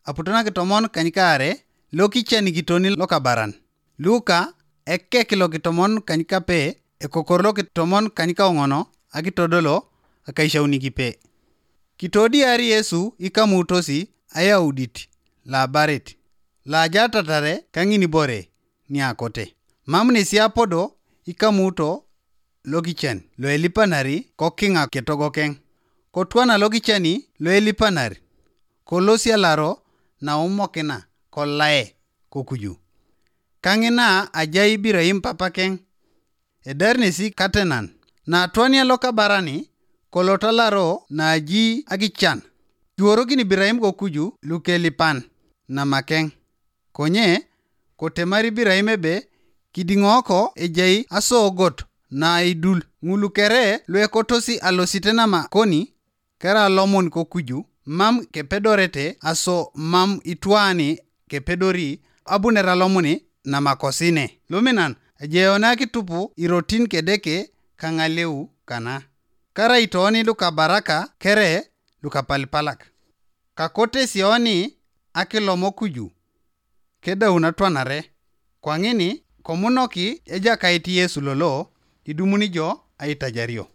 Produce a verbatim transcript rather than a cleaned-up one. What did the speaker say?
aputo nakitomon kanykaare, lokicen kitoni lokabaran. Luka, ekek lokitomon kanykape, ekokor lokitomon kanykaoŋono, akitodolo, akaishaunikipe. Kitodiar Yesu ikamutosi ayaudit labarit, lajatatare kaŋinibore niakote. Mam nesi apodo ikamuto lokicen loelipanari kokiŋa ketogokeŋ. Kotwana lokiceni loelipanar, kolosialaro naumokina kolae kokuju. Kaŋina ajai Ibiraim papakeŋ, edar nesi katenan. Natwania lokabarani, kolotalaro naji akican. Kiworokin Ibiraim kokuju lukelipan namakeŋ. Konye, kotemar Ibiraim ebe kidiŋoko ejai asogot naidul. Ŋulu kere luekotosi alosite namakoni, kera lomon kokuju, mam kepedorete aso mam itwani kepedori abunera lomoni namakosine. Luminan, ejeone akitupu irotin kedeke kaŋaleu kana. Karai tooni lukabaraka kere lukapalipalak. Kakote sioni akilomo kuju, kedaun atwanare. Kwaŋini komunoki Ejakait Yesu lolo idumuni jo aitajario.